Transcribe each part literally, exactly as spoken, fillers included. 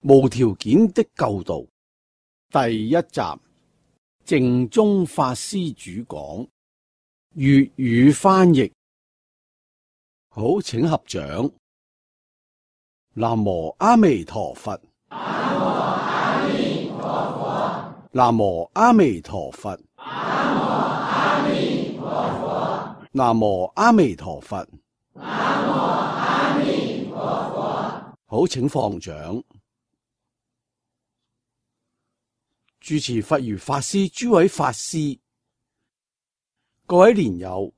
無條件的救度第一集，淨宗法師主講，粵語翻譯。好，請合掌。南無阿彌陀佛。南無阿彌陀佛。南無阿彌陀佛。南無阿彌陀佛。南無阿彌陀佛。好，請放掌。住持佛如法師諸位法師，各位蓮友，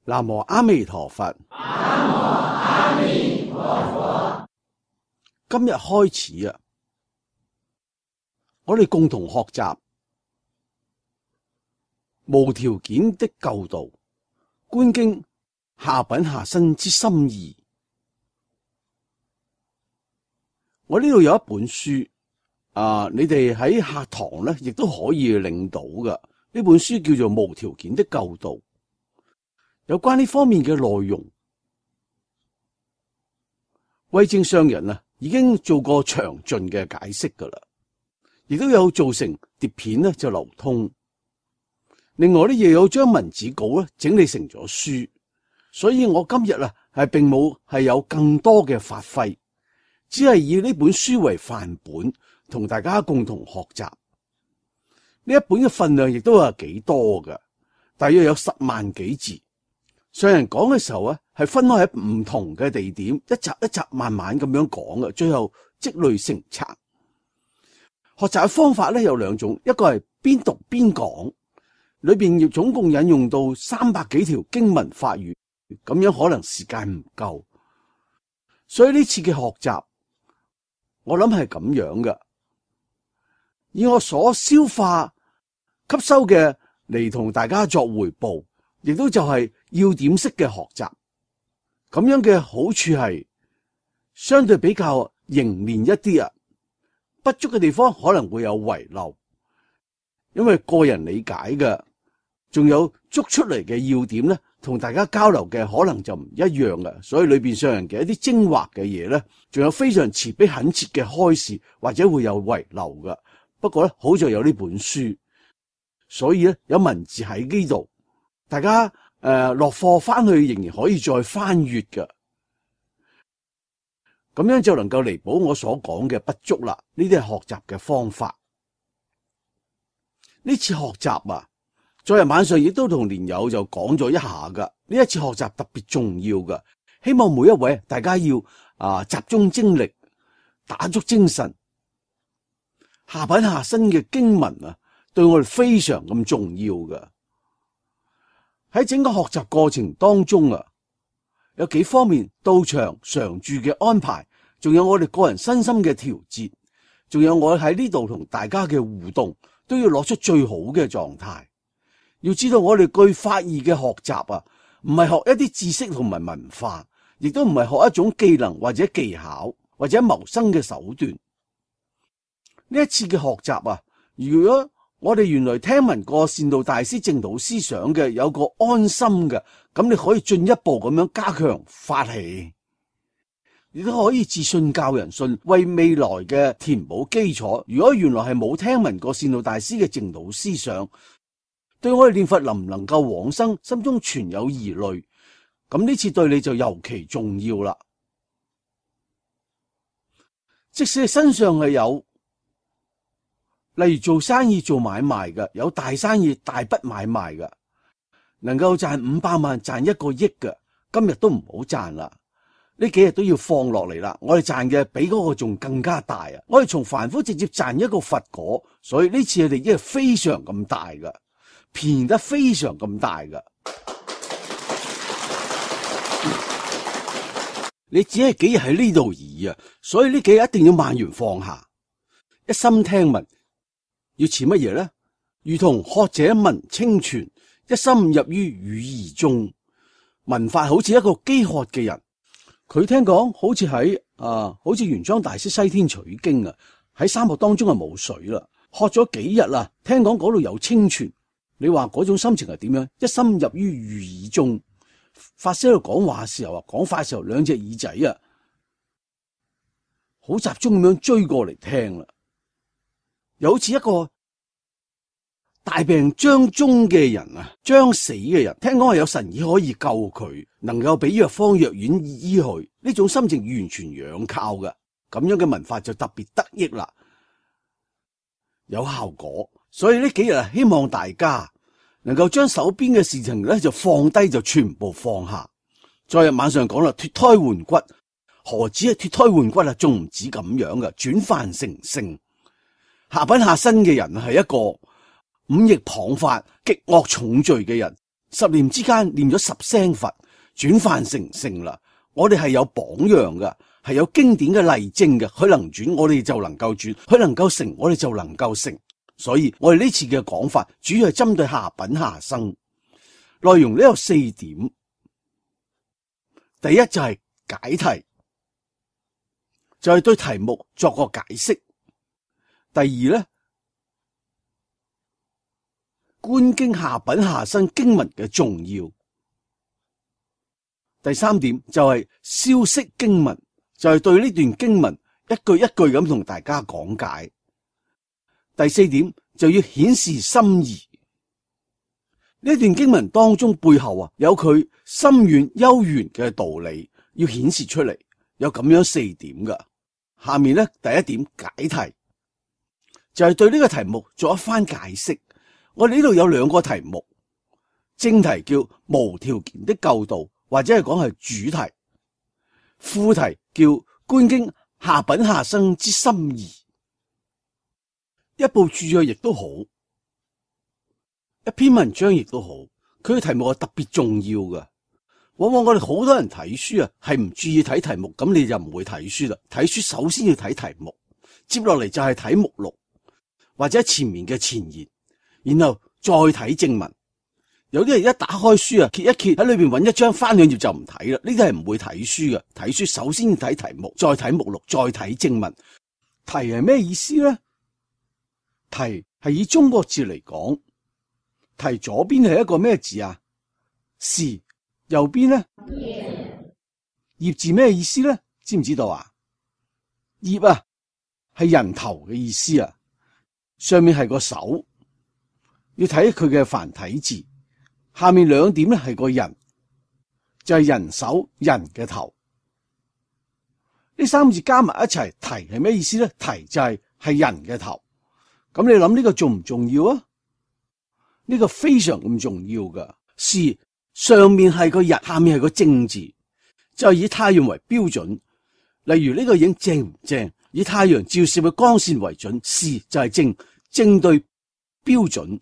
南無阿彌陀佛。南無阿彌陀佛。今日開始啊，我哋共同學習無條件的救度觀經下品下生之心意。我呢度有一本書啊，你哋喺課堂咧，亦都可以領到嘅。呢本書叫做《無條件的救度》，有關呢方面嘅內容，慧證上人啊已經做過詳盡嘅解釋噶啦，亦都有做成碟片咧就流通。另外咧，亦有將文字稿咧整理成咗書，所以我今日啊係並冇係有更多嘅發揮，只係以呢本書為範本，同大家共同學習。呢一本嘅分量亦都係幾多嘅，大約有十萬幾字。上人講嘅時候啊，係分開喺唔同嘅地點，一集一集慢慢咁樣講嘅，最後積累成冊。學習嘅方法咧有兩種，一個係邊讀邊講，裏邊要總共引用到三百幾條經文法語，咁樣可能時間唔夠，所以呢次嘅學習，我諗係咁樣嘅。以我所消化吸收嘅嚟同大家作回報，亦都就係要點式嘅學習。咁樣嘅好處係相對比較凝練一啲啊，不足嘅地方可能會有遺漏，因為個人理解嘅，仲有捉出嚟嘅要點咧，同大家交流嘅可能就唔一樣嘅，所以裏邊上人嘅一啲精華嘅嘢咧，仲有非常慈悲懇切嘅開示，或者會有遺漏嘅。不過咧，好在有呢本書，所以咧有文字喺呢度，大家誒落課翻去仍然可以再翻閱嘅，咁樣就能夠彌補我所講嘅不足啦。呢啲係學習嘅方法。呢次學習啊，昨日晚上亦都同蓮友就講咗一下噶。呢一次學習特別重要噶，希望每一位大家要啊集中精力，打足精神。下品下生嘅經文啊，對我哋非常咁重要噶。喺整個學習過程當中啊，有幾方面到場常住嘅安排，仲有我哋個人身心嘅調節，仲有我喺呢度同大家嘅互動，都要攞出最好嘅狀態。要知道我哋具法義嘅學習啊，唔係學一啲知識同埋文化，亦都唔係學一種技能或者技巧或者謀生嘅手段。呢一次嘅學習啊，如果我哋原來聽聞過善導大師正道思想嘅，有個安心嘅，咁你可以進一步咁樣加強發起，亦都可以自信教人信，為未來嘅填補基礎。如果原來係冇聽聞過善導大師嘅正道思想，對我哋念佛能唔能夠往生，心中存有疑慮，咁呢次對你就尤其重要啦。即使身上係有，例如做生意做買賣嘅，有大生意大筆買賣嘅，能夠賺五百萬賺一個億嘅，今日都唔好賺啦。呢幾日都要放落嚟啦。我哋賺嘅比嗰個仲更加大啊！我哋從凡夫直接賺一個佛果，所以呢次我哋已經係非常咁大嘅，便宜得非常咁大嘅。你只係幾日喺呢度而已啊，所以呢幾日一定要萬緣放下，一心聽聞。要似乜嘢咧？如同渴者聞清泉，一心入於語義中。聞法好似一個飢渴嘅人，佢聽講好似喺啊，好似玄奘大師西天取經啊，喺沙漠當中係冇水啦，渴咗幾日啦，聽講嗰度有清泉。你話嗰種心情係點樣？一心入於語義中。法師喺度講話嘅時候啊，講法嘅時候兩隻耳仔啊，好集中咁樣追過嚟聽啦。又好似一個大病將終嘅人啊，將死嘅人，聽講係有神醫可以救佢，能夠俾藥方藥丸醫佢，呢種心情完全仰靠嘅，咁樣嘅文化就特別得益啦，有效果。所以呢幾日啊，希望大家能夠將手邊嘅事情咧就放低，就全部放下。昨日晚上講啦，脫胎換骨，何止係脫胎換骨啊？仲唔止咁樣嘅，轉凡成聖。下品下身嘅人係一個五逆謗法、極惡重罪嘅人，十年之間念咗十聲佛，轉凡成聖啦。我哋係有榜樣嘅，係有經典嘅例證嘅，佢能轉，我哋就能夠轉；佢能夠成，我哋就能夠成。所以我哋呢次嘅講法，主要係針對下品下生，內容呢有四點。第一就係解題，就係對題目作個解釋。第二咧，觀經下品下生經文嘅重要。第三點就係消釋經文，就係對呢段經文一句一句咁同大家講解。第四點就要顯示心意。呢段經文當中背後啊有佢深遠幽玄嘅道理，要顯示出嚟，有咁樣四點噶。下面咧第一點解題，就係對呢個題目做一番解釋。我哋呢度有兩個題目，正題叫無條件的救度，或者係講係主題；副題叫觀經下品下生之心意。一部著作亦都好，一篇文章亦都好，佢嘅題目係特別重要嘅。往往我哋好多人睇書啊，係唔注意睇題目，咁你就唔會睇書啦。睇書首先要睇題目，接落嚟就係睇目錄或者前面嘅前言，然後再睇正文。有啲人一打開書啊，揭一揭喺裏邊揾一張，翻兩頁就唔睇啦。呢啲係唔會睇書嘅。睇書首先要睇題目，再睇目錄，再睇正文。題係咩意思咧？題係以中國字嚟講，題左邊係一個咩字啊？士。右邊咧？葉字咩意思咧？知唔知道啊？葉啊係人頭嘅意思啊，上面係個手，要睇佢嘅繁體字。下面兩點咧係個人，就係人手人嘅頭。呢三個字加埋一齊，題係咩意思咧？題就係係人嘅頭。咁你諗呢個重唔重要啊？呢個非常咁重要噶。是上面係個日，下面係個正字，就係以太陽為標準。例如呢個影正唔正，以太陽照射嘅光線為準，是就係正，正對標準。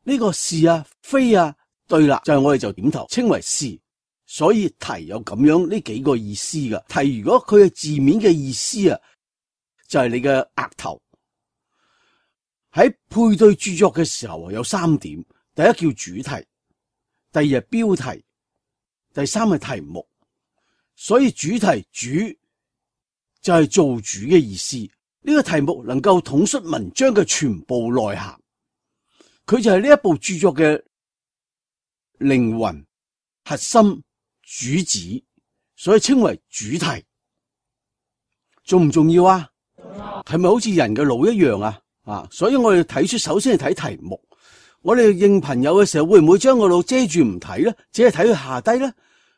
呢個是啊非啊對啦，就係我哋就點頭稱為是。所以題有咁樣呢幾個意思噶。題如果佢嘅字面嘅意思啊，就係你嘅額頭。喺配對著作嘅時候有三點，第一叫主題，第二係標題，第三係題目。所以主題主就係做主嘅意思。呢個題目能夠統率文章嘅全部內涵，佢就係呢一部著作嘅靈魂、核心、主旨，所以稱為主題。重唔重要啊？係咪好似人嘅腦一樣啊？啊！所以我哋睇書首先係睇題目。我哋認朋友嘅時候，會唔會將個腦遮住唔睇咧？只係睇佢下低咧？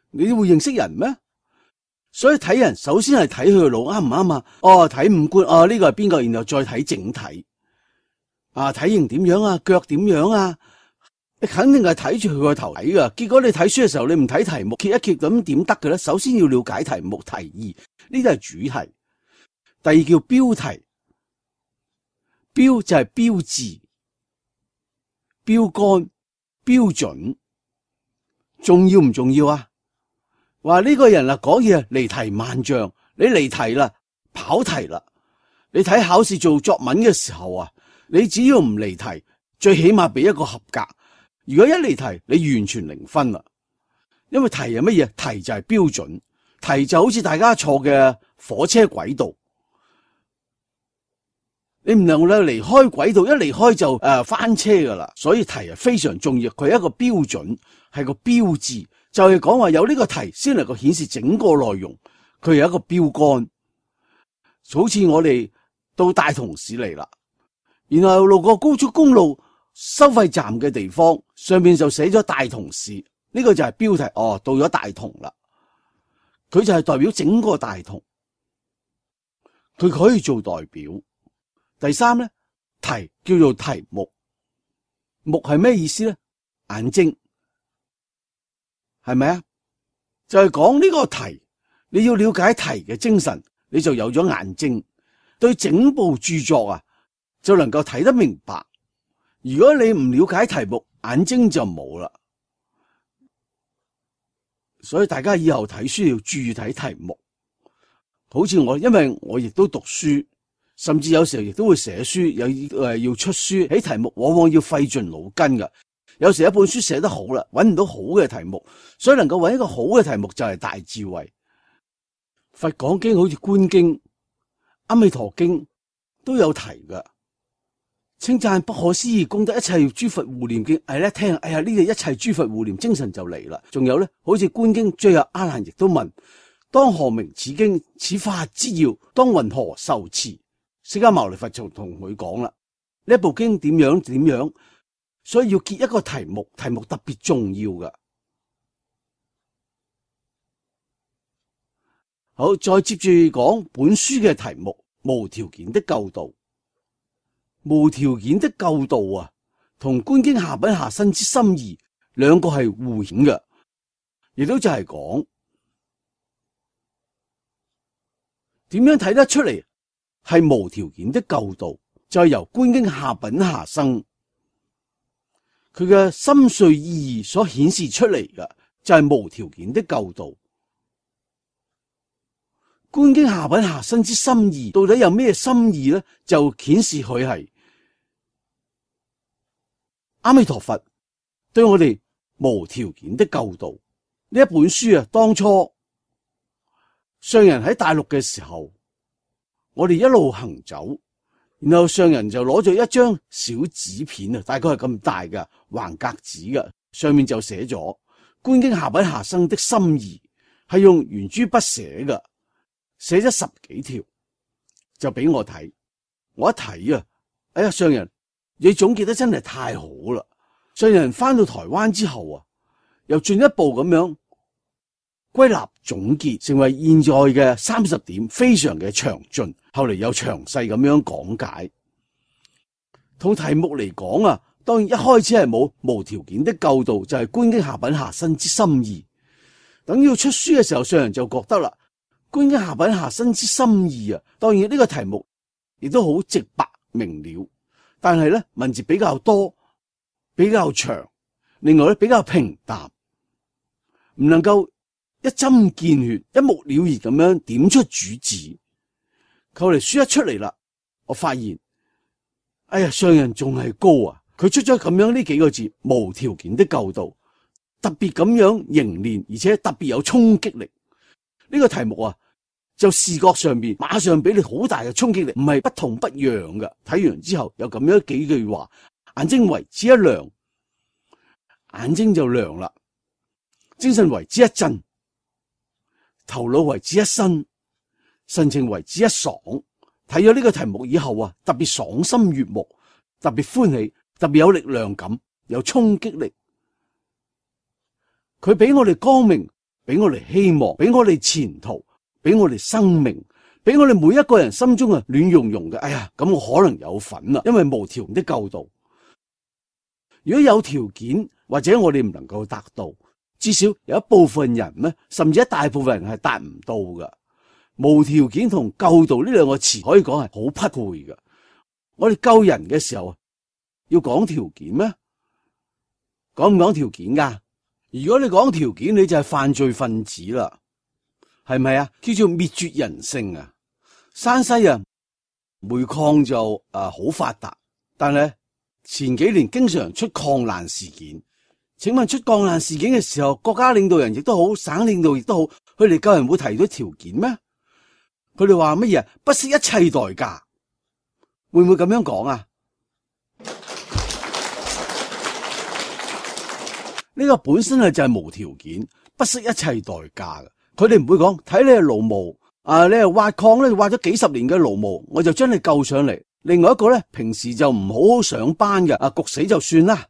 你會認識人咩？所以睇人首先係睇佢個腦啱唔啱啊？哦，睇五官，哦呢個係邊個？然後再睇整體。啊，體型點樣啊？腳點樣啊？你肯定係睇住佢個頭睇噶。結果你睇書嘅時候，你唔睇題目，揭一揭咁點得嘅咧？首先要了解題目、題意，呢啲係主題。第二叫標題。標就係標誌、標杆、標準，重要唔重要啊？話呢個人啊講嘢離題萬丈，你離題啦，跑題啦。你睇考試做作文嘅時候啊，你只要唔離題，最起碼俾一個合格。如果一離題，你完全零分啦。因為題係乜嘢？題就係標準，題就好似大家坐嘅火車軌道。你唔能夠離開軌道，一離開就誒、呃、翻車噶啦。所以題係非常重要，佢係一個標準，係個標誌，就係講話有呢個題先能夠顯示整個內容，佢係一個標杆。好似我哋到大同市嚟啦，然後路過高速公路收費站嘅地方，上面就寫咗大同市，呢個就係標題。哦，到咗大同啦，佢就係代表整個大同，佢可以做代表。第三咧，題叫做題目，目係咩意思咧？眼睛，係咪啊？就係講呢個題，你要了解題嘅精神，你就有咗眼睛，對整部著作啊就能夠睇得明白。如果你唔了解題目，眼睛就冇啦。所以大家以後睇書要注意睇題目。好似我，因為我亦都讀書，甚至有時候亦都會寫書，有誒要出書，喺題目往往要費盡腦筋噶。有時一本書寫得好啦，揾唔到好嘅題目，所以能夠揾一個好嘅題目就係大智慧。佛講經好似觀經、阿彌陀經都有題噶，稱讚不可思議功德，一切諸佛護念經。係咧聽，哎呀呢個一切諸佛護念精神就嚟啦。仲有咧，好似觀經，最後阿難亦都問：當何名此經？此法之要，當云何受持？釋迦牟尼佛就同佢講啦，呢部經點樣點樣，所以要結一個題目，題目特別重要噶。好，再接住講本書嘅題目：無條件的救度。無條件的救度啊，同觀經下品下生之心意兩個係互顯嘅，亦都就係講點樣睇得出嚟係無條件的救度，就係由觀經下品下生佢嘅深邃意義所顯示出嚟嘅，就係無條件的救度。觀經下品下生之心意到底有咩心意咧？就顯示佢係阿彌陀佛對我哋無條件的救度。呢一本書啊，當初上人喺大陸嘅時候，我哋一路行走，然後上人就攞咗一張小紙片啊，大概係咁大嘅橫格紙嘅，上面就寫咗觀經下品下生的心意，係用圓珠筆寫嘅。寫咗十幾條就俾我睇，我一睇啊，哎呀，上人你總結得真係太好啦！上人翻到台灣之後啊，又進一步咁樣歸納總結，成為現在嘅三十點，非常嘅詳盡。後嚟又詳細咁樣講解。同題目嚟講啊，當然一開始係冇無條件的救度，就係觀經下品下生之心意。等要出書嘅時候，上人就覺得啦。觀經下品下生之心意啊，當然呢個題目亦都好直白明了，但係咧文字比較多，比較長，另外咧比較平淡，唔能夠一針見血、一目了然咁樣點出主旨。後嚟書一出嚟啦，我發現，哎呀，上人仲係高啊！佢出咗咁樣呢幾個字，無條件的救度，特別咁樣凝練，而且特別有衝擊力。呢個題目啊，就視覺上邊馬上俾你好大嘅衝擊力，唔係不痛不癢嘅。睇完之後有咁樣幾句話，眼睛為之一亮，眼睛就亮啦；精神為之一振，頭腦為之一新，神情為之一爽。睇咗呢個題目以後啊，特別爽心悅目，特別歡喜，特別有力量感，有衝擊力。佢俾我哋光明。俾我哋希望，俾我哋前途，俾我哋生命，俾我哋每一個人心中啊暖融融嘅。哎呀，咁我可能有份啦，因為無條件的救度。如果有條件，或者我哋唔能夠達到，至少有一部分人咧，甚至一大部分人係達唔到嘅。無條件同救度呢兩個詞可以講係好匹配嘅。我哋救人嘅時候啊，要講條件咩？講唔講條件噶？如果你講條件，你就係犯罪分子啦，係咪啊？叫做滅絕人性啊！山西啊，煤礦就誒好發達，但係前幾年經常出礦難事件。請問出礦難事件嘅時候，國家領導人亦都好，省領導亦都好，佢哋救人會提到條件咩？佢哋話乜嘢？不惜一切代價，會唔會咁樣講啊？呢個本身係就係無條件，不惜一切代價嘅。佢哋唔會講睇你係勞務，啊，你係挖礦咧，挖咗幾十年嘅勞模，我就將你救上嚟。另外一個咧，平時就唔好好上班嘅，啊，焗死就算啦。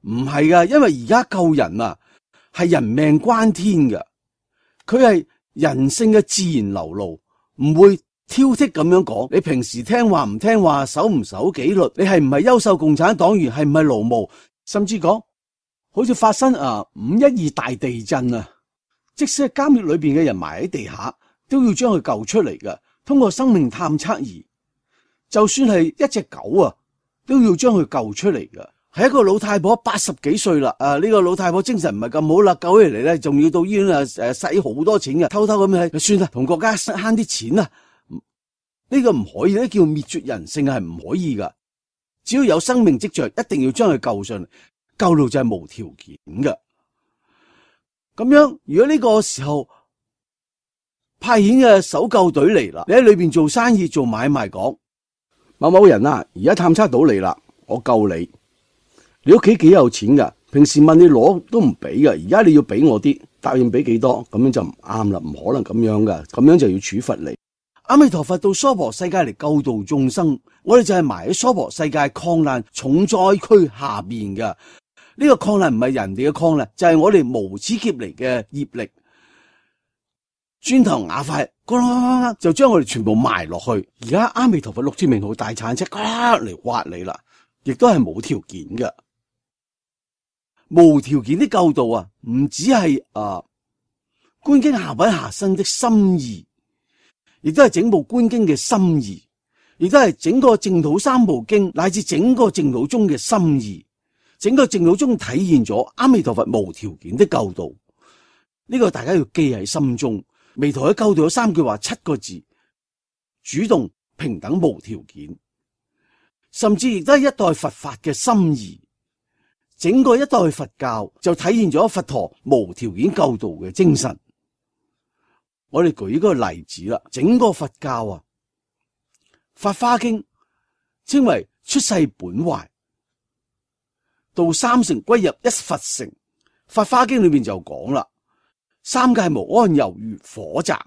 唔係噶，因為而家救人啊，係人命關天噶，佢係人性嘅自然流露，唔會挑剔咁樣講。你平時聽話唔聽話，守唔守紀律，你係唔係優秀共產黨員，係唔係勞模，甚至講好似發生啊五一二大地震啊，即使係監獄裏邊嘅人埋喺地下，都要將佢救出嚟噶，通過生命探測儀。就算係一隻狗啊，都要將佢救出嚟噶。係一個老太婆八十幾歲啦，啊呢、這個老太婆精神唔係咁好啦，救起嚟咧，仲要到醫院啊誒使好多錢嘅，偷偷咁樣算啦，同國家慳啲錢啦。呢、這個唔可以咧，叫滅絕人性係唔可以噶。只要有生命跡象，一定要將佢救上嚟，救到就係無條件嘅。咁樣如果呢個時候派遣嘅搜救隊嚟啦，你喺裏邊做生意做買賣講。某某人啊，而家探測到你啦，我救你。你屋企幾有錢噶？平時問你攞都唔俾噶，而家你要俾我啲，答應俾幾多？咁樣就唔啱啦，唔可能咁樣噶，咁樣就要處罰你。阿彌陀佛到娑婆世界嚟救度眾生，我哋就係埋喺娑婆世界礦難重災區下邊噶。呢、這個礦難唔係人哋嘅礦難，就係、是、我哋無始劫嚟嘅業力。磚頭瓦塊，就將我哋全部埋落去。而家阿彌陀佛六字名號大鏟車嚟挖你啦，亦都係冇條件嘅，無條件的救度啊！唔只係啊觀經下品下生的心意，亦都係整部觀經嘅心意，亦都係整個淨土三部經乃至整個淨土宗嘅心意，整個淨土宗體現咗阿彌陀佛無條件的救度。呢、這個大家要記喺心中。彌陀喺救度有三句話，七個字：主動、平等、無條件。甚至亦都係一代佛法嘅心意。整個一代佛教就體現咗佛陀無條件救度嘅精神。我哋舉一個例子啦，整個佛教啊，《法華經》稱為出世本懷，到三乘歸入一佛乘。《法華經》裏邊就講啦。三界無安猶如火宅，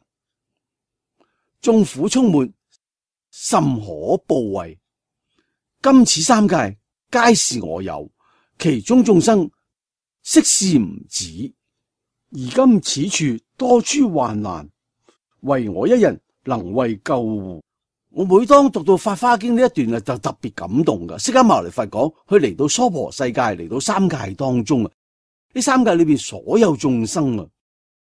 眾苦充滿，甚可怖畏。今此三界皆是我有，其中眾生悉是吾子。而今此處多諸患難，唯我一人能為救護。我每當讀到《法華經》呢一段啊，就特別感動噶。釋迦牟尼佛講，佢嚟到娑婆世界，嚟到三界當中啊，呢三界裏邊所有眾生啊。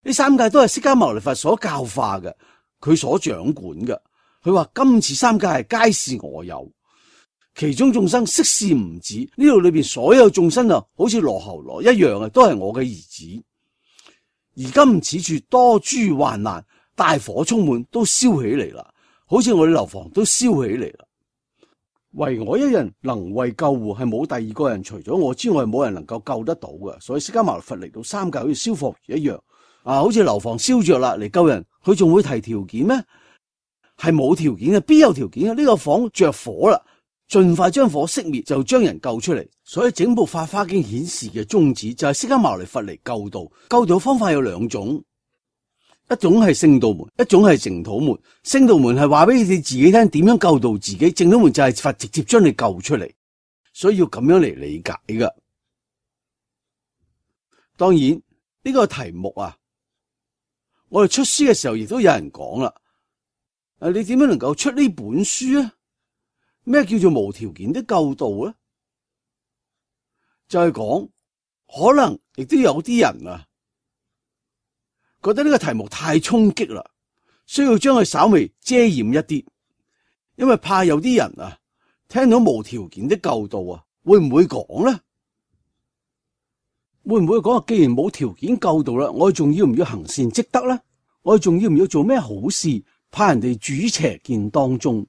呢三界都係釋迦牟尼佛所教化嘅，佢所掌管嘅。佢話今此三界皆是我有，其中眾生悉是吾子。呢度裏邊所有眾生啊，好似羅睺羅一樣啊，都係我嘅兒子。而今此處多諸患難，大火充滿，都燒起嚟啦，好似我哋樓房都燒起嚟啦。唯我一人能為救護，係冇第二個人除咗我之外，冇人能夠救得到嘅。所以釋迦牟尼佛嚟到三界好似燒火魚一樣。啊，好似樓房燒着啦，嚟救人，佢仲會提條件咩？係冇條件嘅，邊有條件啊？呢個房着火啦，盡快將火熄滅，就將人救出嚟。所以整部《法華經》顯示嘅宗旨就係釋迦牟尼佛嚟救度。救度方法有兩種，一種係聖道門，一種係淨土門。聖道門係話俾你哋自己聽點樣救度自己，淨土門就係佛直接將你救出嚟，所以要咁樣嚟理解噶。當然呢個題目啊，我哋出書嘅時候亦都有人講啦，誒，你點樣能夠出呢本書啊？咩叫做無條件的救度咧？就係講，可能亦都有啲人啊，覺得呢個題目太衝擊啦，需要將佢稍微遮掩一啲，因為怕有啲人啊，聽到無條件的救度啊，會唔會講咧？會唔會講啊？既然冇條件救度啦，我哋仲要唔要行善積德咧？我哋仲要唔要做咩好事？怕人哋住於邪見當中，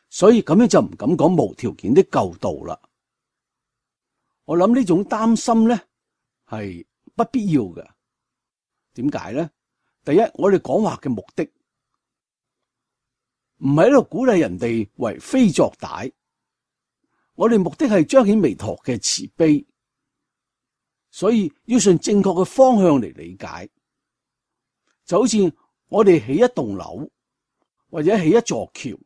所以咁樣就唔敢講無條件的救度啦。我諗呢種擔心咧係不必要嘅。點解咧？第一，我哋講話嘅目的唔係喺度鼓勵人哋為非作歹，我哋目的係彰顯彌陀嘅慈悲。所以要順正確嘅方向嚟理解，就好似我哋起一棟樓或者起一座橋，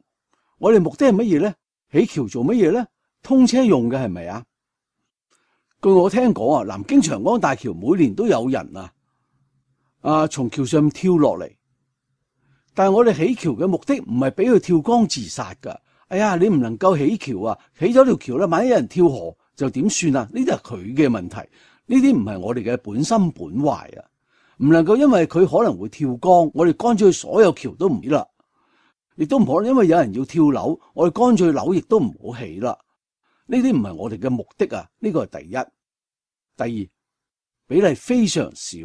我哋目的係乜嘢咧？起橋做乜嘢咧？通車用嘅係咪啊？據我聽講啊，南京長江大橋每年都有人啊啊從橋上跳落嚟，但係我哋起橋嘅目的唔係俾佢跳江自殺噶。哎呀，你唔能夠起橋啊，起咗條橋啦，萬一有人跳河就點算啊？呢啲係佢嘅問題，呢啲唔係我哋嘅本心本壞啊，唔能夠因為佢可能會跳江，我哋乾脆所有橋都唔起啦，亦都唔可能因為有人要跳樓，我哋乾脆樓亦都唔好起啦。呢啲唔係我哋嘅目的啊，呢個係第一。第二，比例非常少，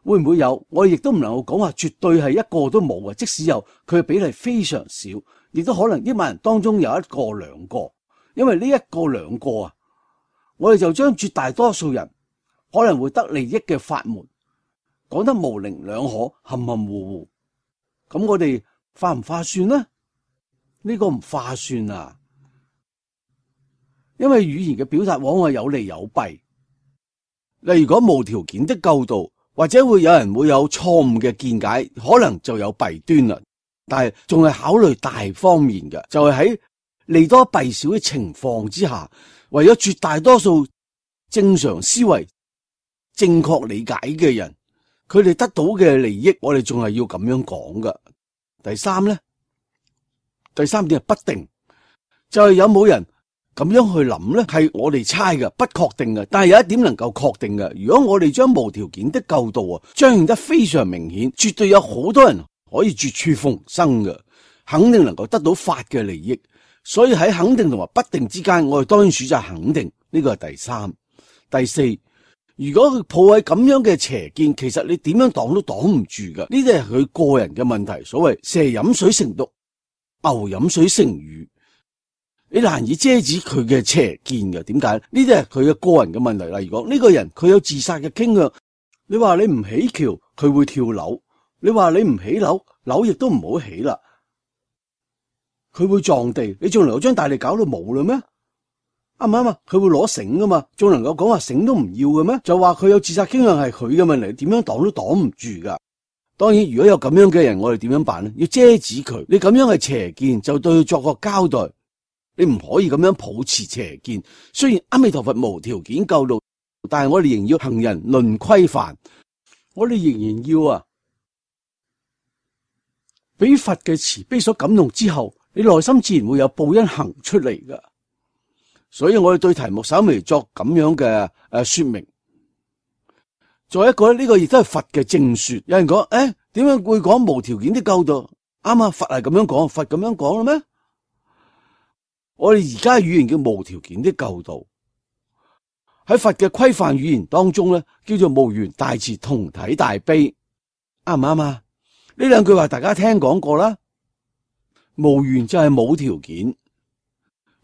會唔會有？我哋亦都唔能夠講話絕對係一個都冇啊。即使有，佢嘅比例非常少，亦都可能億萬人當中有一個兩個，因為呢一個兩個啊，我哋就將絕大多數人可能會得利益嘅法門講得模棱兩可、含含糊糊，咁我哋划唔划算呢？呢個唔划算啊！因為語言嘅表達往往有利有弊，例如講無條件的救度，或者會有人會有錯誤嘅見解，可能就有弊端啦。但係仲係考慮大方面嘅，就係喺利多弊少嘅情況之下，為咗絕大多數正常思維、正確理解嘅人，佢哋得到嘅利益，我哋仲係要咁樣講㗎。第三咧，第三點係不定，就係有冇人咁樣去諗咧，係我哋猜嘅，不確定嘅。但係有一點能夠確定嘅，如果我哋將無條件的救度啊彰顯得非常明顯，絕對有好多人可以絕處逢生嘅，肯定能夠得到法嘅利益。所以喺肯定同埋不定之間，我哋當然選擇肯定，呢個係第三。第四，如果佢抱喺咁樣嘅邪見，其實你點樣擋都擋唔住嘅，呢啲係佢個人嘅問題。所謂蛇飲水成毒，牛飲水成魚。你難以遮止佢嘅邪見嘅，點解？呢啲係佢嘅個人嘅問題。例如講呢個人佢有自殺嘅傾向，你話你唔起橋，佢會跳樓；你話你唔起樓，樓亦都唔好起啦，佢會撞地。你仲能夠將大地搞到冇啦咩？啱唔啱啊？佢會攞繩噶嘛，仲能夠講話繩都唔要嘅咩？就話佢有自殺傾向係佢嘅問題，點樣擋都擋唔住噶。當然，如果有咁樣嘅人，我哋點樣辦呢？要遮止佢。你咁樣係邪見，就對佢作個交代。你唔可以咁樣抱持邪見，雖然阿彌陀佛無條件救度，但係我哋仍要行人論規範，我哋仍然要啊，俾佛嘅慈悲所感動之後，你內心自然會有報恩行出嚟噶。所以我哋對題目稍微作咁樣嘅誒說明。再一個咧，呢個亦都係佛嘅正說。有人講，誒，點樣會講無條件的救度？啱啊，佛係咁樣講，佛咁樣講啦咩？我哋而家語言叫無條件的救度，喺佛嘅規範語言當中咧，叫做無緣大慈同體大悲，啱唔啱啊？呢兩句話大家聽講過啦。無緣就係冇條件，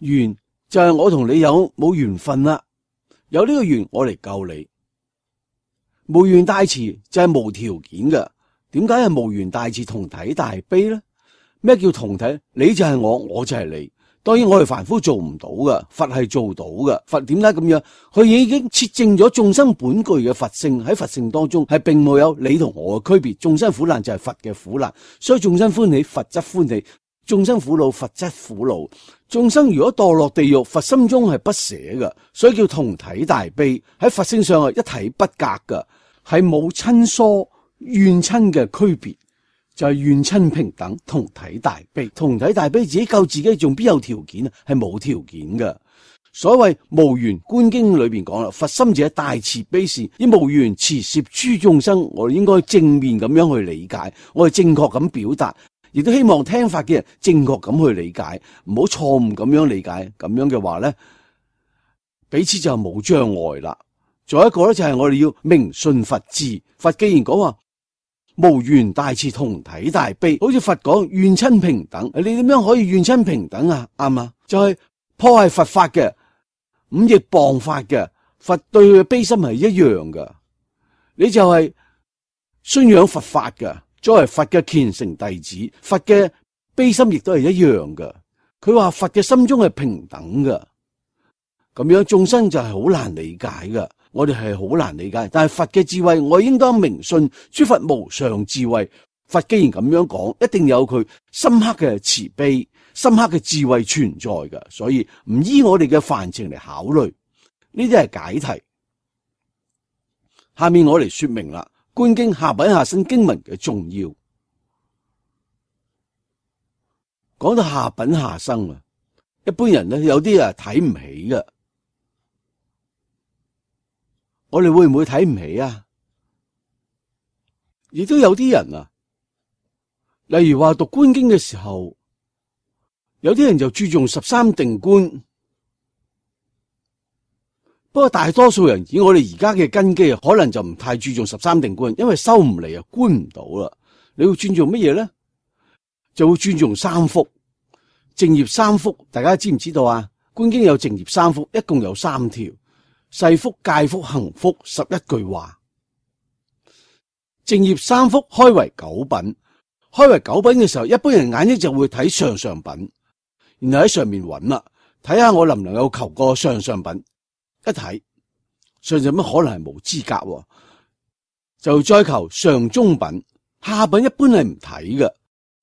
緣就係我同你有冇緣分啦，有呢個緣我嚟救你。無緣大慈就係無條件嘅，點解係無緣大慈同體大悲咧？咩叫同體？你就係我，我就係你。當然我哋凡夫做唔到噶，佛係做到噶。佛點解咁樣？佢已經切證咗眾生本具嘅佛性，喺佛性當中係並冇有你同我嘅區別。眾生苦難就係佛嘅苦難，所以眾生歡喜，佛則歡喜；眾生苦惱，佛則苦惱。眾生如果墮落地獄，佛心中係不捨噶，所以叫同體大悲。喺佛性上係一體不隔噶，係冇親疏怨親嘅區別。就係怨親平等，同體大悲，同體大悲自己救自己，仲邊有條件啊？係冇條件噶。所謂無緣觀經裏邊講啦，佛心者大慈悲善，以無緣慈攝諸眾生。我哋應該正面咁樣去理解，我哋正確咁表達，亦都希望聽法嘅人正確咁去理解，唔好錯誤咁樣理解。咁樣嘅話咧，彼此就冇障礙啦。仲有一個咧，就係我哋要明信佛智。佛既然講話無緣大慈同體大悲，好似佛講怨親平等，你點樣可以怨親平等啊？啱啊，就係、是、破壞佛法嘅，五逆謗法嘅，佛對佢嘅悲心係一樣噶。你就係信仰佛法嘅，作為佛嘅虔誠弟子，佛嘅悲心亦都係一樣噶。佢話佛嘅心中係平等噶，咁樣眾生就係好難理解噶。我哋係好難理解，但係佛嘅智慧，我應當明信諸佛無上智慧，佛既然咁樣講，一定有佢深刻嘅慈悲、深刻嘅智慧存在嘅，所以唔依我哋嘅範疇嚟考慮，呢啲係解題。下面我嚟說明啦，觀經下品下生經文嘅重要。講到下品下生啊，一般人咧有啲啊睇唔起嘅，我哋會唔會睇唔起啊？亦都有啲人啊，例如話讀觀經嘅時候，有啲人就注重十三定觀。不過大多數人以我哋而家嘅根基啊，可能就唔太注重十三定觀，因為收唔嚟啊，觀唔到啦。你會尊重乜嘢咧？就會尊重三福，淨業三福，大家知唔知道啊？觀經有淨業三福，一共有三條：世福、戒福、行福，十一句話。淨業三福開為九品，開為九品嘅時候，一般人眼睛就會睇上上品，然後喺上面揾啦，睇下我能唔能夠求個上上品。一睇上上品可能係冇資格，就再求上中品，下品一般係唔睇嘅。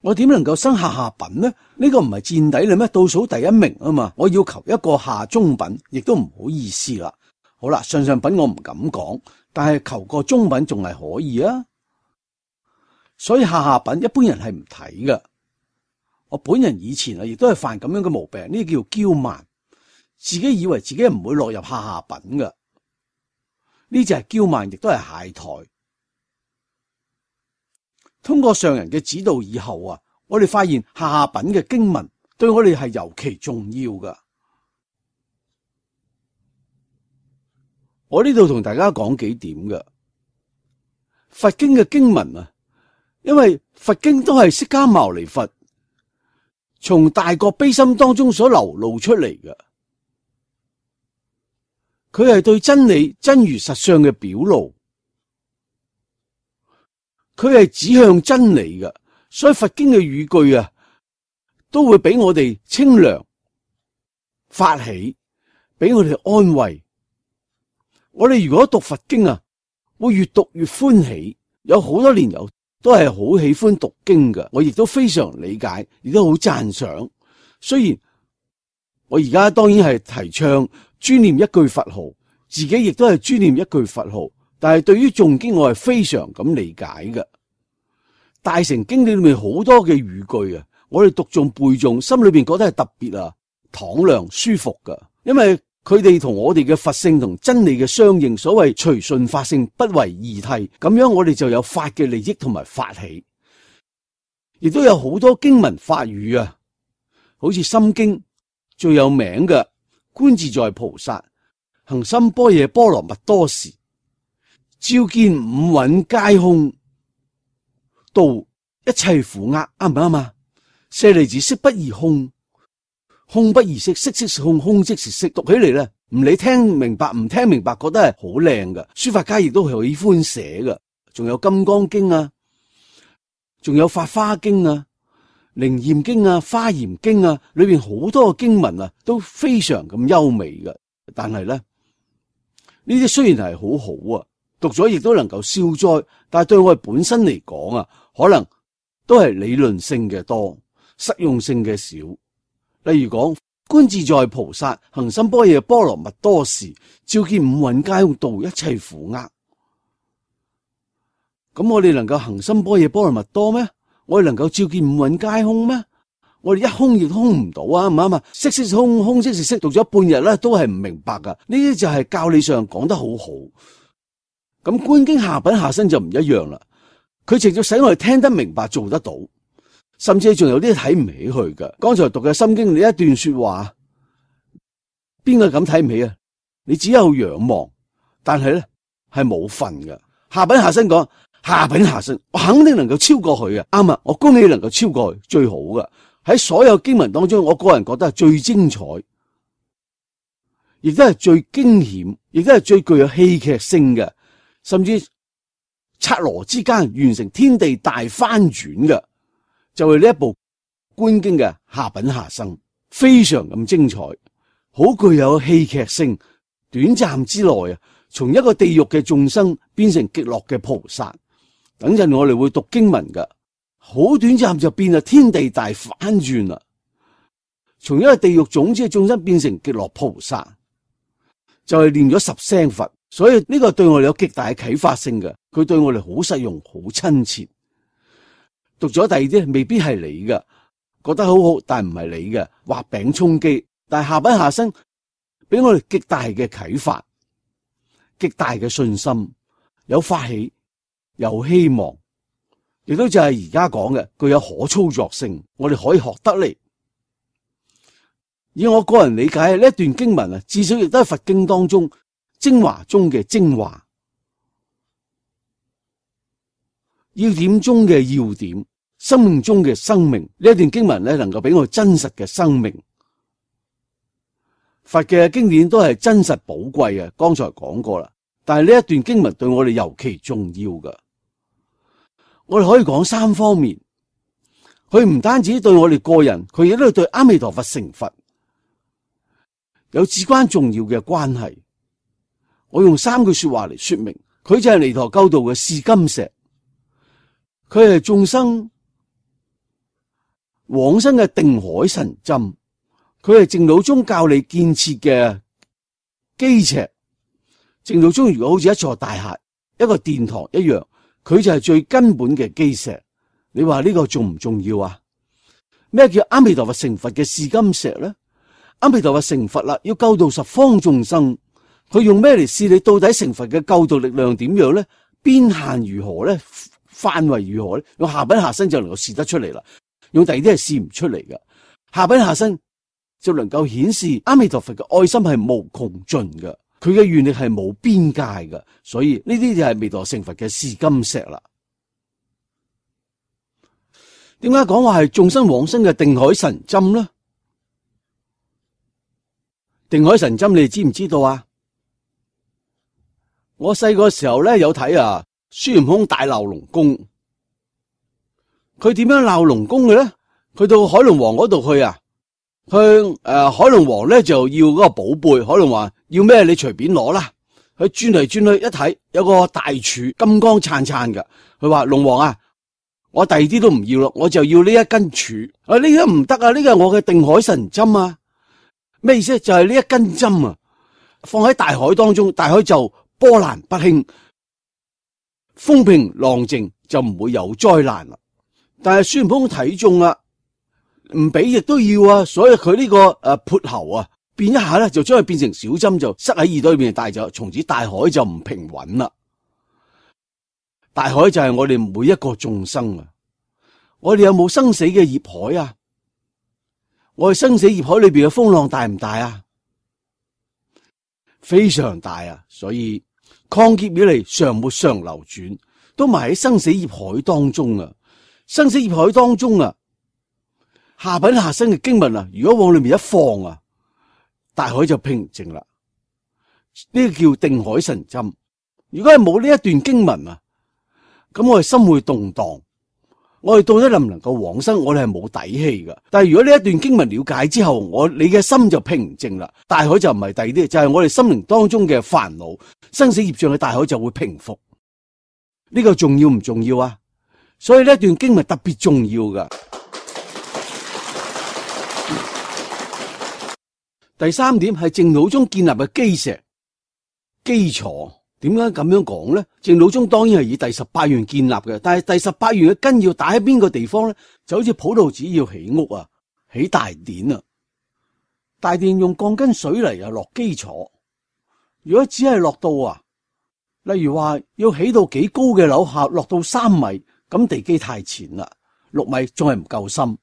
我點能夠生下下品呢？呢個唔係墊底啦咩？倒數第一名啊嘛，我要求一個下中品，亦都唔好意思啦。好啦，上上品我唔敢講，但係求個中品仲係可以啊。所以下下品一般人係唔睇嘅。我本人以前啊，亦都係犯咁樣嘅毛病，呢叫驕慢。自己以為自己唔會落入下下品嘅，呢就係驕慢，亦都係懈怠。通過上人嘅指導以後啊，我哋發現下下品嘅經文對我哋係尤其重要嘅。我呢度同大家講幾點嘅佛經嘅經文啊，因為佛經都係釋迦牟尼佛從大覺悲心當中所流露出嚟嘅。佢係對真理真如實相嘅表露，佢係指向真理嘅，所以佛經嘅語句啊，都會俾我哋清涼發起，俾我哋安慰。我哋如果讀佛經啊，會越讀越歡喜。有好多年友都係好喜歡讀經嘅，我亦都非常理解，亦都好讚賞。雖然我而家當然係提倡專念一句佛號，自己亦都係專念一句佛號，但係對於誦經我係非常咁理解嘅。大乘經典裏面好多嘅語句啊，我哋讀誦背誦，心裏邊覺得係特別啊敞亮舒服噶，因為佢哋同我哋嘅佛性同真理嘅相應，所謂隨順法性，不為二諦，咁樣我哋就有法嘅利益同埋法喜，亦都有好多經文法語啊，好似心經最有名嘅觀自在菩薩行深般若波羅蜜多時，照見五蘊皆空，度一切苦厄，啱唔啱啊？舍利子，色不異空，空不異色，色即是空，空即是色。讀起嚟咧，唔理聽明白唔聽明白，覺得係好靚嘅。書法家亦都喜歡寫嘅，仲有金剛經啊，仲有法花經啊、靈驗經啊、華嚴經啊，裏邊好多嘅經文啊，都非常咁優美嘅。但係咧，呢啲雖然係好好啊，讀咗亦都能夠消災，但係對我哋本身嚟講啊，可能都係理論性嘅多，實用性嘅少。例如講觀自在菩薩行深般若波羅蜜多時，照見五蘊皆空，度一切苦厄。咁我哋能夠行深般若波羅蜜多咩？我哋能夠照見五蘊皆空咩？我哋一空亦空唔到啊，唔啱啊！色即是空，空即是色，讀咗半日咧，都係唔明白噶。呢啲就係教理上講得好好。咁觀經下品下生就唔一樣啦，佢直接使我哋聽得明白，做得到。甚至仲有啲睇唔起佢嘅。剛才讀嘅心經，你一段說話，邊個咁睇唔起啊？你只有仰望，但係咧係冇份嘅。下品下生講下品下生，我肯定能夠超過佢嘅。啱啊，我恭喜你能夠超過佢，最好嘅。喺所有經文當中，我個人覺得係最精彩，亦都係最驚險，亦都係最具有戲劇性嘅，甚至剎那之間完成天地大翻轉嘅。就係呢一部觀經嘅下品下生，非常咁精彩，好具有戲劇性。短暫之內啊，從一個地獄嘅眾生變成極樂嘅菩薩。等陣我哋會讀經文噶，好短暫就變啊天地大反轉啦，從一個地獄種子嘅眾生變成極樂菩薩，就係念咗十聲佛，所以呢個對我哋有極大嘅啟發性嘅，佢對我哋好實用、好親切。讀咗第二啲未必係你嘅，覺得好好，但唔係你嘅，畫餅充飢，但係下品下生俾我哋極大嘅啟發，極大嘅信心，有發起，有希望。亦都就係而家講嘅，具有可操作性，我哋可以學得嚟。以我個人理解，呢一段經文啊，至少亦都係佛經當中精華中嘅精華，要點中嘅要點，生命中嘅生命。呢一段經文咧，能夠俾我真實嘅生命。佛嘅經典都係真實寶貴嘅，剛才講過啦。但係呢一段經文對我哋尤其重要㗎。我哋可以講三方面，佢唔單止對我哋個人，佢亦都係對阿彌陀佛成佛有至關重要嘅關係。我用三句說話嚟說明，佢就係彌陀救度嘅試金石，佢係眾生往生嘅定海神針，佢係淨土宗教理建設嘅基石。淨土宗如果好似一座大廈、一個殿堂一樣，佢就係最根本嘅基石。你話呢個重唔重要啊？咩叫阿彌陀佛成佛嘅試金石咧？阿彌陀佛成佛啦，要救度十方眾生，佢用咩嚟試你到底成佛嘅救度力量點樣咧？邊限如何咧？範圍如何咧？用下品下生就能夠試得出嚟啦。用第二啲係試唔出嚟嘅。下品下生就能夠顯示阿彌陀佛嘅愛心係無窮盡嘅。佢嘅願力係冇邊界嘅，所以呢啲就係彌陀成佛嘅試金石啦。點解講話係眾生往生嘅定海神針呢？定海神針你哋知唔知道啊？我細個時候咧有睇啊，孫悟空大鬧龍宮，佢點樣鬧龍宮嘅咧？佢到海龍王嗰度去啊。向誒、呃、海龍王咧就要嗰個寶貝，海龍王要咩你隨便攞啦。佢轉嚟轉去一睇，有個大柱金光燦燦嘅。佢話龍王啊，我第二啲都唔要咯，我就要呢一根柱。啊呢個唔得啊，呢個係我嘅定海神針啊。咩意思？就係呢一根針啊，放喺大海當中，大海就波瀾不興，風平浪靜，就唔會有災難啦。但係孫悟空睇中啦。唔俾亦都要啊，所以佢呢、這個誒潑喉啊，變一下咧就將佢變成小針，就塞喺耳朵裏面，帶走，從此大海就唔平穩啦。大海就係我哋每一個眾生啊，我哋有冇生死嘅業海啊？我哋生死業海裏邊嘅風浪大唔大啊？非常大啊！所以曠劫以嚟常沒常流轉，都埋喺生死業海當中啊！生死業海當中啊！下品下生嘅經文啊，如果往裏面一放啊，大海就平靜啦。呢個叫定海神針。如果係冇呢一段經文啊，咁我哋心會動蕩，我哋到底能唔能夠往生，我哋係冇底氣噶。但係如果呢一段經文了解之後，我你嘅心就平靜啦。大海就唔係第二啲，就係我哋心靈當中嘅煩惱，生死業障嘅大海就會平復。呢個重要唔重要啊？所以呢一段經文特別重要噶。第三點係淨土宗建立嘅基石基礎。點解咁樣講咧？淨土宗當然係以第十八願建立嘅，但係第十八願嘅根要打喺邊個地方咧？就好似普度寺要起屋啊，起大殿啊，大殿用鋼筋水泥啊落基礎。如果只係落到啊，例如話要起到幾高嘅樓下，落到三米，咁地基太淺啦，六米仲係唔夠深，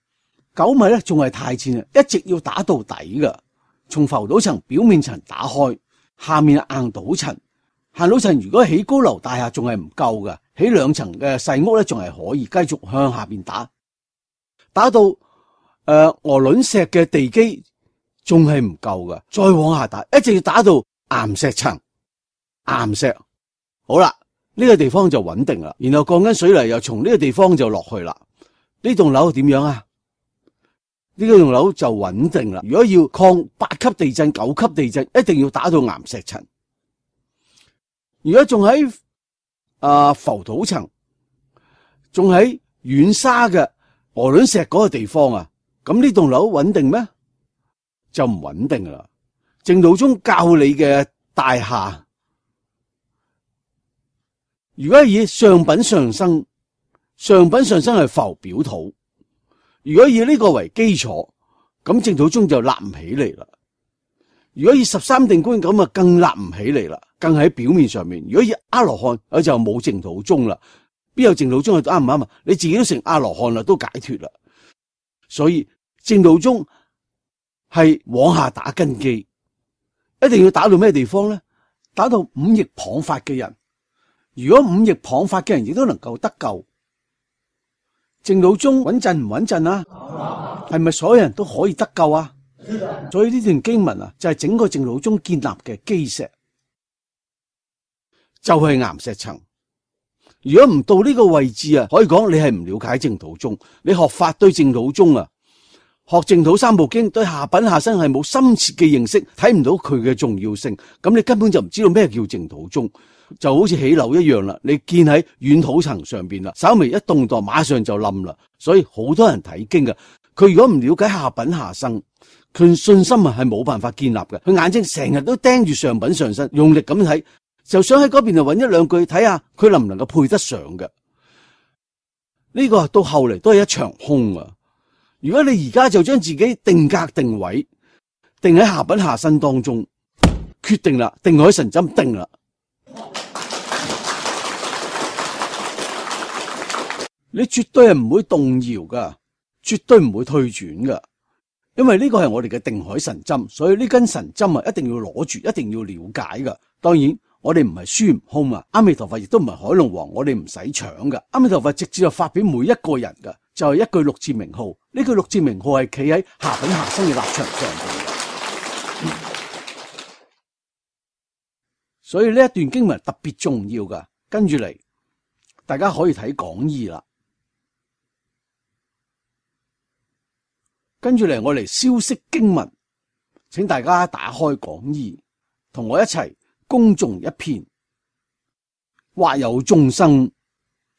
九米咧仲係太淺啊，一直要打到底噶。從浮島層表面層打開，下面硬島層，硬島層如果起高樓大廈仲係唔夠嘅，起兩層嘅細屋咧仲係可以繼續向下邊打，打到誒鵝卵石嘅地基仲係唔夠嘅，再往下打，一直要打到岩石層，岩石好啦，呢個地方就穩定啦，然後鋼筋水泥又從呢個地方就落去啦。呢棟樓點樣啊？呢個棟樓就穩定啦。如果要抗八級地震、九級地震，一定要打到岩石層。如果仲喺啊浮島層，仲喺軟沙嘅鵝卵石嗰個地方啊，咁呢棟樓穩定咩？就唔穩定噶啦。淨土宗教你嘅大廈，如果以上品上生，上品上生係浮表土，如果以呢個為基礎，咁淨土宗就立唔起嚟啦。如果以十三定觀咁啊，更立唔起嚟啦，更喺表面上面。如果以阿羅漢，佢就冇淨土宗啦。邊有淨土宗係啱唔啱啊？你自己都成阿羅漢啦，都解脫啦。所以淨土宗係往下打根基，一定要打到咩地方咧？打到五逆謗法嘅人。如果五逆謗法嘅人亦都能夠得救，淨土宗穩陣唔穩陣啊？係咪所有人都可以得救啊？所以呢段經文啊，就係整個淨土宗建立嘅基石，就係岩石層。如果唔到呢個位置啊，可以講你係唔了解淨土宗。你學法對淨土宗啊，學淨土三部經對下品下生係冇深切嘅認識，睇唔到佢嘅重要性，咁你根本就唔知道咩叫淨土宗。就好似起樓一樣啦，你建喺軟土層上邊啦，稍微一動盪馬上就冧啦。所以好多人睇經嘅，佢如果唔了解下品下生，佢信心啊係冇辦法建立嘅。佢眼睛成日都盯住上品上生，用力咁睇，就想喺嗰邊就揾一兩句睇下佢能唔能夠配得上嘅。呢個到後嚟都係一場空啊！如果你而家就將自己定格定位，定喺下品下生當中，決定啦，定海神針定啦。你絕對係唔會動搖噶，絕對唔會退轉噶，因為呢個係我哋嘅定海神針，所以呢根神針啊，一定要攞住，一定要了解噶。當然，我哋唔係孫悟空啊，阿彌陀佛亦都唔係海龍王，我哋唔使搶噶。阿彌陀佛直接就發俾每一個人噶，就係、是、一句六字名號。呢句六字名號係企喺下品下生嘅立場上邊、嗯，所以呢一段經文特別重要噶。跟住嚟，大家可以睇講義啦。跟住嚟，我嚟消釋經文，請大家打開講義，同我一齊恭誦一遍。或有眾生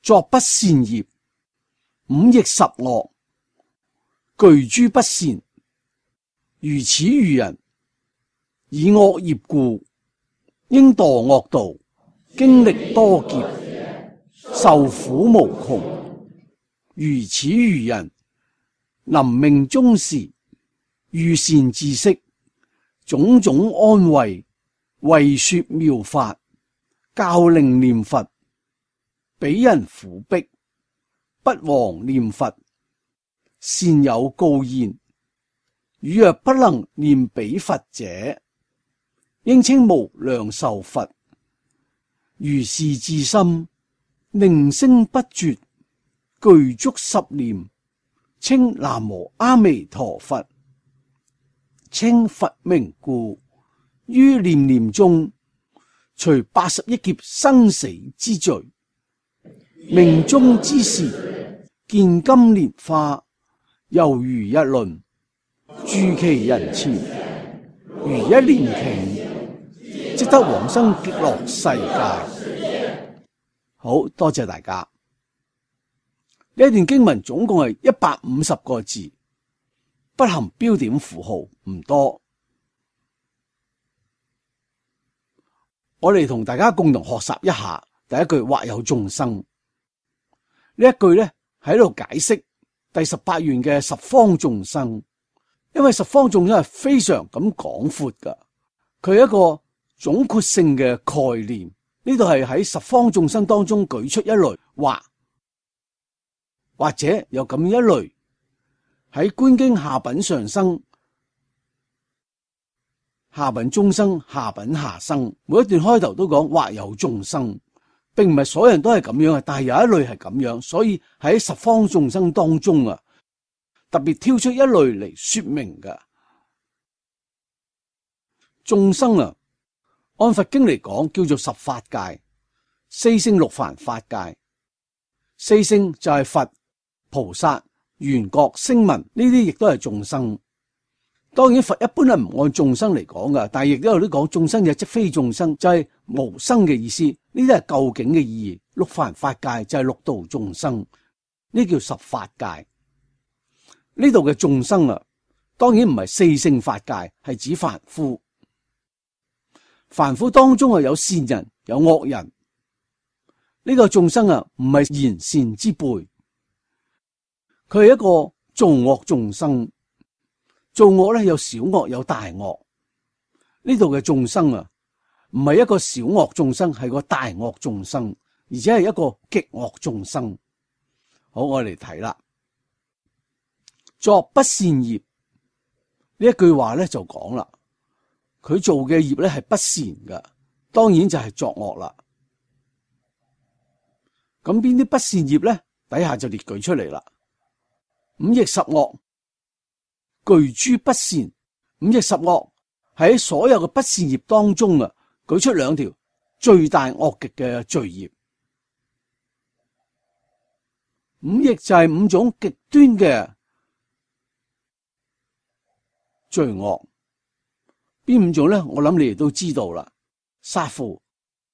作不善業，五逆十惡，具諸不善，如此愚人，以惡業故，應墮惡道，經歷多劫，受苦無窮。如此愚人，臨命終時，遇善知識，種種安慰，為說妙法，教令念佛。彼人苦逼，不忘念佛，善有告言：汝若不能念彼佛者，應稱無量壽佛。如是至心，寧聲不絕，具足十念，稱南無阿彌陀佛。稱佛名故，於念念中，除八十億劫生死之罪。命終之時，見金蓮花，猶如一輪，住其人前，如一蓮頃，即得往生極樂世界。好多謝大家。呢一段經文總共係一百五十個字，不含標點符號，唔多。我哋同大家共同學習一下第一句或有眾生。呢一句咧喺度解釋第十八願嘅十方眾生，因為十方眾生係非常咁廣闊噶，佢係一個總括性嘅概念。呢度係喺十方眾生當中舉出一類，或或者有咁一類喺觀經下品上生、下品中生、下品下生，每一段開頭都講或有眾生。並唔係所有人都係咁樣啊，但係有一類係咁樣，所以喺十方眾生當中啊，特別挑出一類嚟說明噶。眾生啊，按佛經嚟講叫做十法界，四聖六凡法界。四聖就係佛、菩薩、緣覺、聲聞，呢啲亦都係眾生。當然佛一般係唔按眾生嚟講噶，但係亦都有啲講眾生嘅即非眾生，就係無生嘅意思。呢啲係究竟嘅意義。六凡法界就係六道眾生，呢叫十法界。呢度嘅眾生啊，當然唔係四聖法界，係指凡夫。凡夫當中啊，有善人有惡人。呢個眾生啊，唔係賢善之輩，佢係一個造惡眾生。造惡咧有小惡有大惡。呢度嘅眾生啊，唔係一個小惡眾生，係個大惡眾生，而且係一個極惡眾生。好，我哋嚟睇啦。作不善業呢一句話咧就講啦，佢做嘅業咧係不善嘅，當然就係作惡啦。咁邊啲不善業咧？底下就列舉出嚟啦。五逆十惡，具諸不善。五逆十惡喺所有嘅不善業當中啊，舉出兩條最大惡極嘅罪業。五逆就係五種極端嘅罪惡。邊五種咧？我諗你哋都知道啦。殺父、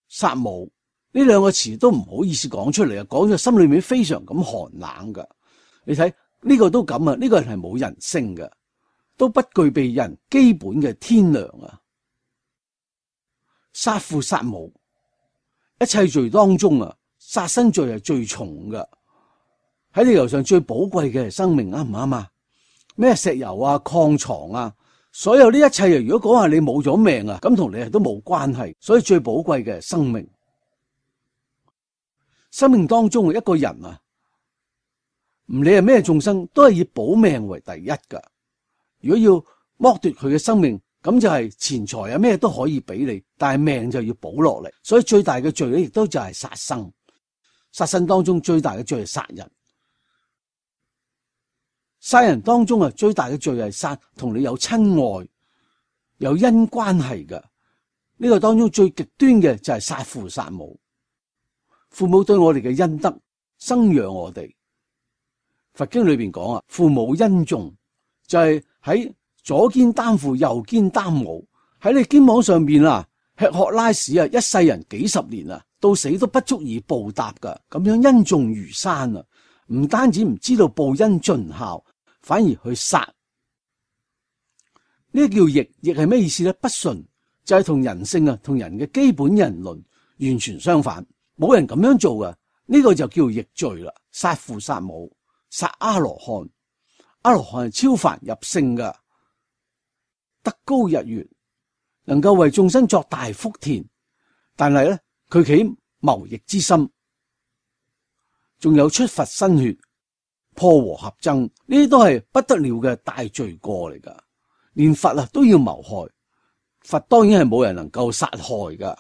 殺母呢兩個詞都唔好意思講出嚟啊，講咗心裏面非常咁寒冷噶。你睇呢個都咁啊，呢個人係冇人性嘅，都不具備人基本嘅天良啊。殺父殺母，一切罪當中啊，殺身罪係最重噶。喺地球上最寶貴嘅係生命，啱唔啱啊？咩石油啊、礦床啊，所有呢一切啊，如果講話你冇咗命啊，咁同你都冇關係。所以最寶貴嘅係生命。生命當中嘅一個人啊，唔理係咩眾生，都係以保命為第一噶。如果要剝奪佢嘅生命，咁就係錢財啊，咩都可以俾你，但係命就要保落嚟。所以最大嘅罪咧，亦都就係殺生。殺生當中最大嘅罪係殺人。殺人當中啊，最大嘅罪係殺同你有親愛、有恩關係嘅。呢個當中最極端嘅就係殺父殺母。父母對我哋嘅恩德，生養我哋。佛經裏邊講啊，父母恩重，就係喺左肩擔父，右肩擔母，喺你肩膀上邊啊，吃喝拉屎啊，一世人幾十年啊，到死都不足以報答噶。咁樣恩重如山啊，唔單止唔知道報恩盡孝，反而去殺。呢個叫逆，逆係咩意思咧？不順，就係同人性啊，同人嘅基本人倫完全相反。冇人咁樣做噶，呢個就叫逆罪啦。殺父殺母，殺阿羅漢，阿羅漢係超凡入聖噶，德高日月，能夠為眾生作大福田。但係咧，佢起謀逆之心，仲有出佛身血、破和合僧，呢啲都係不得了嘅大罪過嚟噶。連佛啊都要謀害，佛當然係冇人能夠殺害噶。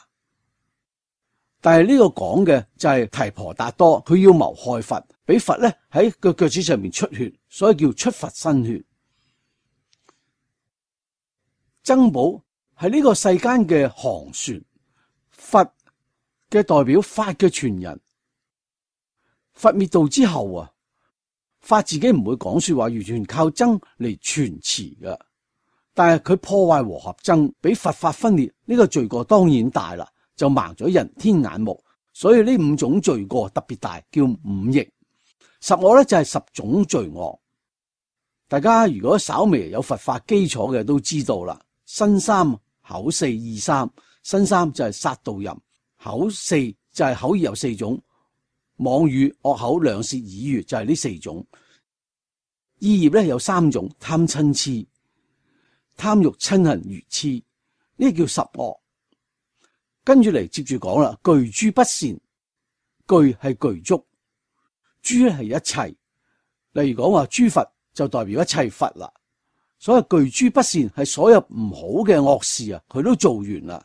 但係呢個講嘅就係提婆達多，佢要謀害佛，俾佛咧喺個腳趾上面出血，所以叫出佛身血。僧寶係呢個世間嘅航船，佛嘅代表，法嘅傳人。佛滅度之後啊，法自己唔會講說話，完全靠僧嚟傳持噶。但係佢破壞和合僧，俾佛法分裂，呢個罪過當然大啦。就盲咗人天眼目，所以呢五種罪過特別大，叫五逆。十惡咧就係十種罪惡。大家如果稍微有佛法基礎嘅都知道啦。身三口四意三，身三就係殺盜淫，口四就係口業有四種，妄語惡口兩舌綺語就係呢四種。意業咧有三種，貪嗔痴，貪欲嗔恨愚痴，呢叫十惡。跟住嚟接住講啦，具諸不善，具係具足，諸咧係一切。例如講話諸佛就代表一切佛啦。所謂具諸不善係所有唔好嘅惡事啊，佢都做完啦。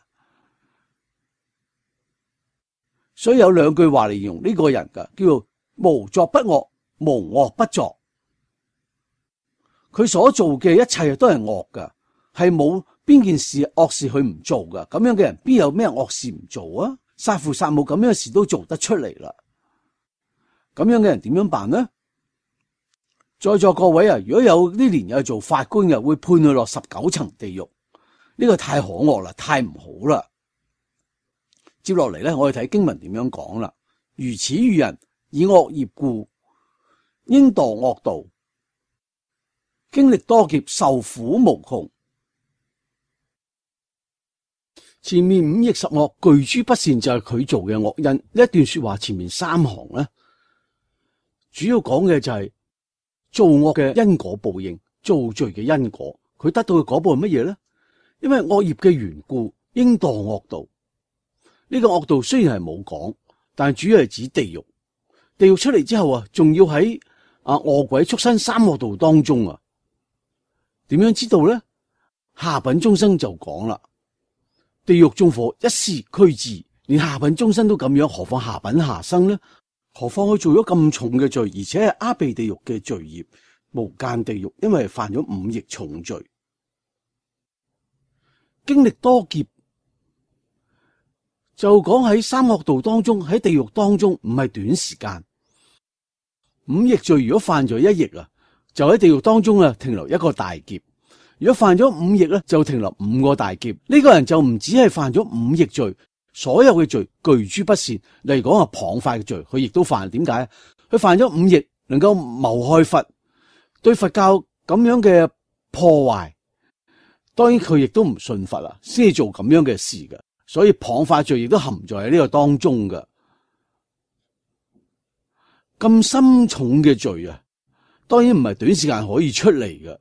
所以有兩句話嚟形容呢個人噶，叫做無作不惡，無惡不作。佢所做嘅一切都係惡噶，係冇邊件事惡事佢唔做噶，咁樣嘅人邊有咩惡事唔做啊？殺父殺母咁樣嘅事都做得出嚟啦，咁樣嘅人點樣辦呢？在座各位啊，如果有啲年又做法官嘅，會判佢落十九層地獄，呢個太可惡啦，太唔好啦。接落嚟咧，我哋睇經文點樣講啦。如此愚人，以惡業故，應墮惡道，經歷多劫，受苦無窮。前面五逆十惡，具諸不善就係佢做嘅惡因。呢一段說話前面三行咧，主要講嘅就係做惡嘅因果報應，做罪嘅因果。佢得到嘅果報係乜嘢咧？因為惡業嘅緣故，應墮惡道。呢個惡道雖然係冇講，但係主要係指地獄。地獄出嚟之後啊，仲要喺啊餓鬼畜生三惡道當中啊，點樣知道咧？下品眾生就講啦。地獄縱火一時驅至，連下品眾生都咁樣，何況下品下生呢？何況佢做咗咁重嘅罪，而且係阿鼻地獄嘅罪業，無間地獄，因為犯咗五逆重罪，經歷多劫，就講喺三惡道當中，喺地獄當中唔係短時間。五逆罪如果犯咗一逆啊，就喺地獄當中啊停留一個大劫。如果犯咗五逆咧，就停留五個大劫。呢個人就唔止係犯咗五逆罪，所有嘅罪具諸不善。例如講啊，謗法嘅罪，佢亦都犯。點解？佢犯咗五逆，能夠謀害佛，對佛教咁樣嘅破壞。當然佢亦都唔信佛啦，先至做咁樣嘅事嘅。所以謗法罪亦都含在喺呢個當中嘅。咁深重嘅罪啊，當然唔係短時間可以出嚟嘅。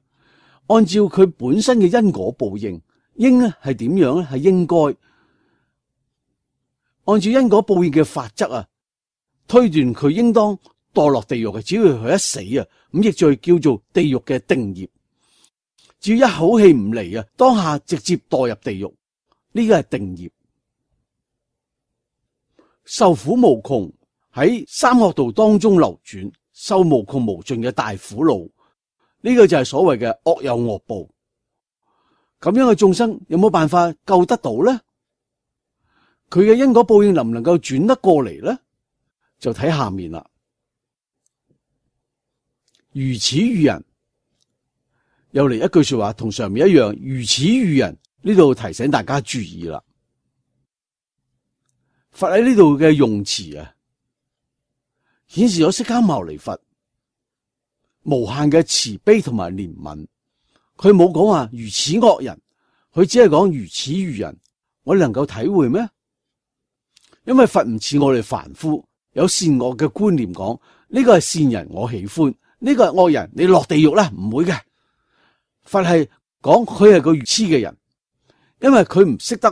按照佢本身嘅因果報應，應咧係點樣咧？係應該按照因果報應嘅法則啊，推斷佢應當墮落地獄嘅。只要佢一死啊，五逆罪叫做地獄嘅定業。只要一口氣唔嚟啊，當下直接墮入地獄，呢個係定業，受苦無窮，喺三惡道當中流轉，受無窮無盡嘅大苦惱。呢個就係所謂嘅惡有惡報。咁樣嘅眾生有冇辦法救得到咧？佢嘅因果報應能唔能夠轉得過嚟咧？就睇下面啦。如此愚人，又嚟一句說話，同上面一樣。如此愚人，呢度提醒大家注意啦。佛喺呢度嘅用詞啊，顯示咗釋迦牟尼佛無限嘅慈悲同埋憐憫。佢冇講話如此惡人，佢只係講如此愚人。我哋能夠體會咩？因為佛唔似我哋凡夫有善惡嘅觀念，講呢個係善人我喜歡，呢個係惡人你落地獄啦，唔會嘅。佛係講佢係個愚痴嘅人，因為佢唔識得、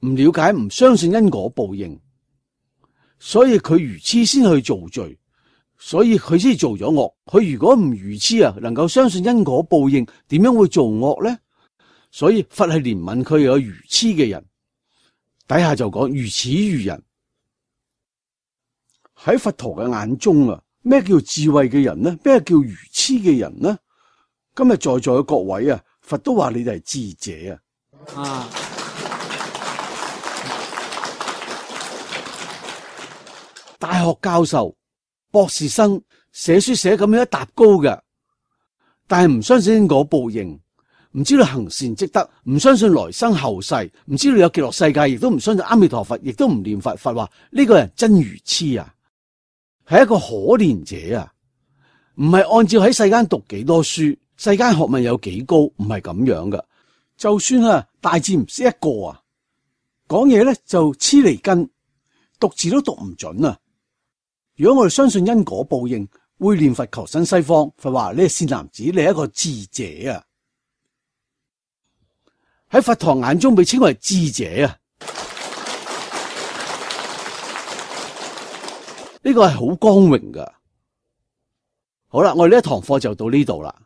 唔了解、唔相信因果報應，所以佢愚痴先去做罪。所以佢先做咗惡。佢如果唔愚痴啊，能夠相信因果報應，點樣會做惡咧？所以佛係憐憫佢有愚痴嘅人，底下就講如此愚人。喺佛陀嘅眼中啊，咩叫智慧嘅人呢？咩叫愚痴嘅人呢？今日在座嘅各位啊，佛都話你哋係智者啊。啊，大學教授、博士生寫書寫咁樣一沓高嘅，但係唔相信因果報應，唔知道行善積德，唔相信來生後世，唔知道有極樂世界，亦都唔相信阿彌陀佛，亦都唔念佛。佛話呢個人真愚痴啊，係一個可憐者啊，唔係按照喺世間讀幾多書，世間學問有幾高，唔係咁樣噶。就算啊大字唔識一個啊，講嘢咧就黐脷根，讀字都讀唔準啊。如果我哋相信因果報應，會念佛求生西方，佛話你係善男子，你係一個智者啊！喺佛陀眼中被稱為智者啊！呢個係好光榮噶。好啦，我哋呢一堂課就到呢度啦。